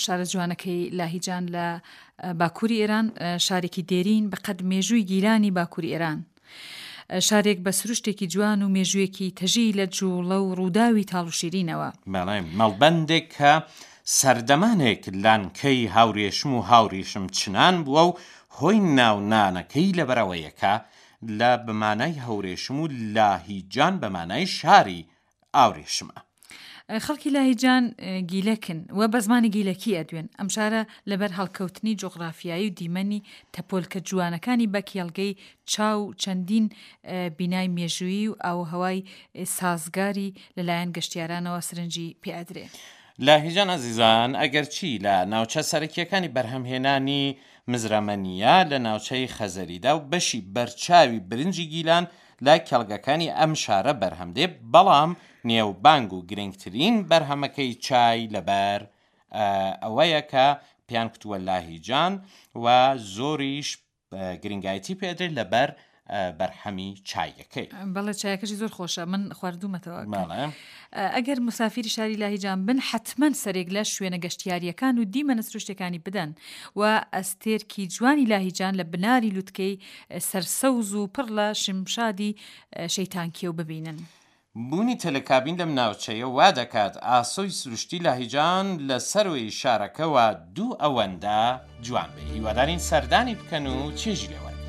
شارە جوانەکەی لاهیجان لە باکووری ئێران، شارێکی دێرین بە قەد مێژووی گیلانی باکووری ئێران. شارێک بە سروشتێکی جوان و مێژوویەکی تەژی لە جووڵە و ڕووداوی تاڵ و شیرینەوە. بەڵێ، مەڵبەندێک کە سەردەمانێک لانکەی هاورێشم و هاوریشم چنان بووە و هۆی ناونانەکەی لەبەرئەوەیە کە لە بە مانای هەورێشم و لاهیجان بە مانای شاری ئاورێشمە. خەڵکی لاهیجان گیلەکن و بە زمانی گیلەکی ئەدوێن. ئەم شارە لەبەر هەڵکەوتنی جوغرافیایی و دیمەنی تەپۆلکە جوانەکانی بە کێڵگەی چا و چەندین بینای مێژوویی و ئاووهەوای سازگاری لەلایەن گەشتیارانەوە سرنجی پێ ئەدرێ. لاهیجان ئازیزان ئەگەرچی لە ناوچە سەرەکییەکانی بەرهەمهێنانی مزرەمەنییە لە ناوچەی خەزەریدا و بەشی بەرچاوی برنجی گیلان لە کێڵگەکانی ئەم شارە بەرهەم دێ، بەڵام نێوبانگ و گرنگترین بەرهەمەکەی چای لەبەر ئەوەیە کە پێیان کوتووە لاهیجان و زۆریش گرنگایەتی پێدرێت لەبەر بەرهەمی چایەکەی. بەڵێ چایەکەشی زۆر خۆشە من خواردوومەتەوە. ئەگەر مسافیری شاری لاهیجان بن حەتمەن سەرێک لە شوێنە گەشتیارییەکان و دیمەنە سروشتیەکانی بدەن و ئەستێرکی جوانی لاهیجان لە بناری لوتکەی سەرسەوز و پڕ لە شمشادی شەیتانکێو ببینن. بوونی تەلەکابین لەم ناوچەیە وا دەکات ئاسۆی سروشتی لاهیجان لە سەروی شارەکەوە دوو ئەوەندە جوان بێ. هیوادارین سەردانی بکەن و چێژی لێ وەربگرن.